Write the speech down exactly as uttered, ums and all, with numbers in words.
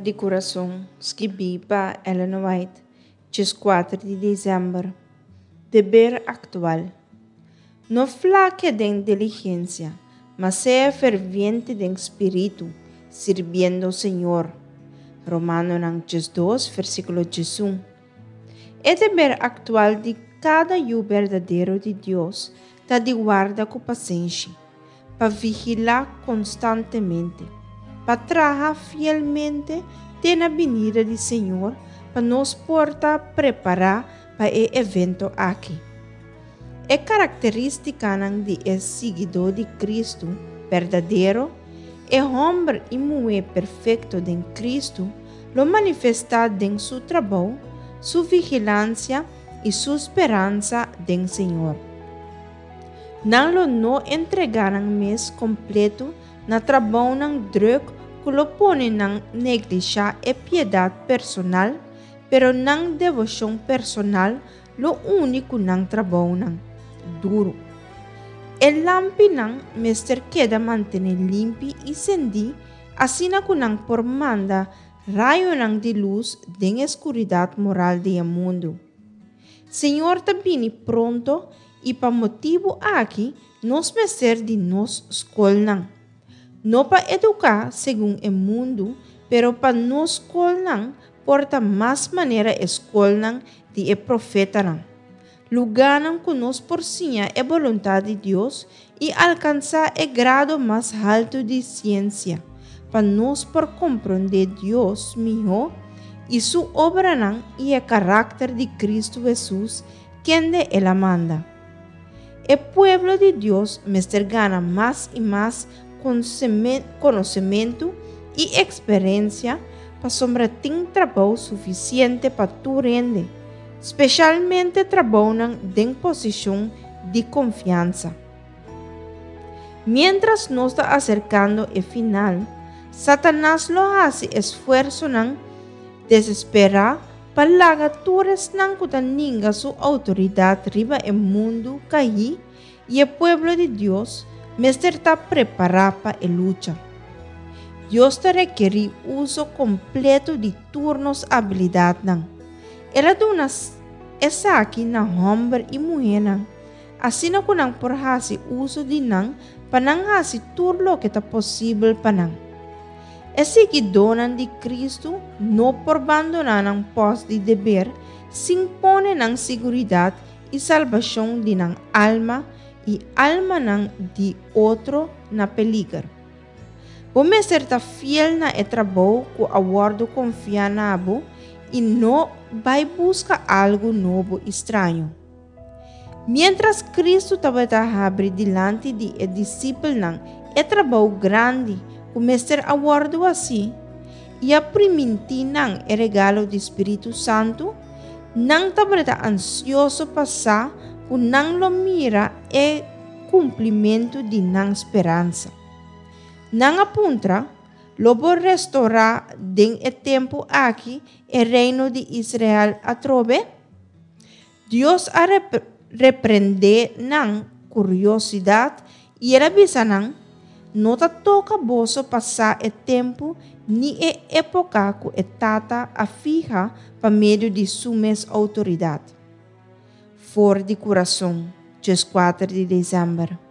di Kurason, skibí pa Ellen White, dieskuater di desèmber. Deber aktual. No flakia den diligensia, ma sea ferviente den spiritu, sirbiendo Señor. Romanonan diesdos, versíkulo diesun. E deber aktual di kada yu berdadero di Dios ta di warda ku pasenshi, pa vigilá konstantemente, pa traha fielmente te na binida di Señor, pa nos por ta prepará pa e evento aki. E karakterístikanan di e siguidó di Kristu berdadero, e hòmber i muhé perfekto den Kristu, lo manifestá den su trabou, su vigilansia i su speransa den Señor. Nan lo no entregá nan mes kompleto na trabounan drùk ku lo pone nan neglishá e piedat personal, pero nan devoshon personal lo uni ku nan trabounan duru. E lampinan mester keda mantené limpi i sendí asina ku nan por manda rayonan di lus den e skuridat moral di e mundu. Señor ta bini pronto i pa motibu aki nos mester di nos skolnan. No pa eduká segun e mundu, pero pa nos skolnan por ta mas manera e skolnan di e profetanan. Lugánan ku nos por siña e boluntat di Dios i alkansá e grado mas haltu di siensia, pa nos por komprondé Dios mihó i su obranan i e karakter di Kristu Hesus, kende el a manda. E pueblo di Dios mester gana mas i mas konosementu i eksperensia pasobra tin trabou sufisiente pa tur hende, spesialmente trabounan den posishon di konfiansa. Miéntras nos ta aserkando e final, Satanas lo hasi esfuersonan desesperá pa laga tur esnan ku ta ninga su outoridat riba e mundu kai i e pueblo di Dios mester ta prepará pa e lucha. Dios ta rekerí uso kompleto di tur nos abilidatnan. El a duna esaki na hòmber i muhénan, asina ku nan por hasi uso di nan pa nan hasi tur loke ta posibel pa nan. E siguidónan di Kristu no por bandoná nan pòst di deber sin pone nan siguridat i salbashon di nan alma i almanan di otro na peliger. Bo mester ta fiel na e trabou ku a wòrdu konfiá na bo i no bai buska algu nobo i straño. Miéntras Kristu tabata habri dilanti di e disipelnan e trabou grandi ku mester a wòrdu hasí i a primintí nan e regalo di Spiritu Santu, nan tabata ansioso pa sa ku nan lo mira e kumplimentu di nan speransa. Nan a puntra, Lo bo restourá den e tempu aki e reino di Israel atrobe? Dios a reprendé nan kuriosidat i el a bisa nan, No ta toka boso pa sa e tempu ni e époka ku e Tata a fiha pa medio di su mes outoridat. For di Kurason, dieskuater di desèmber.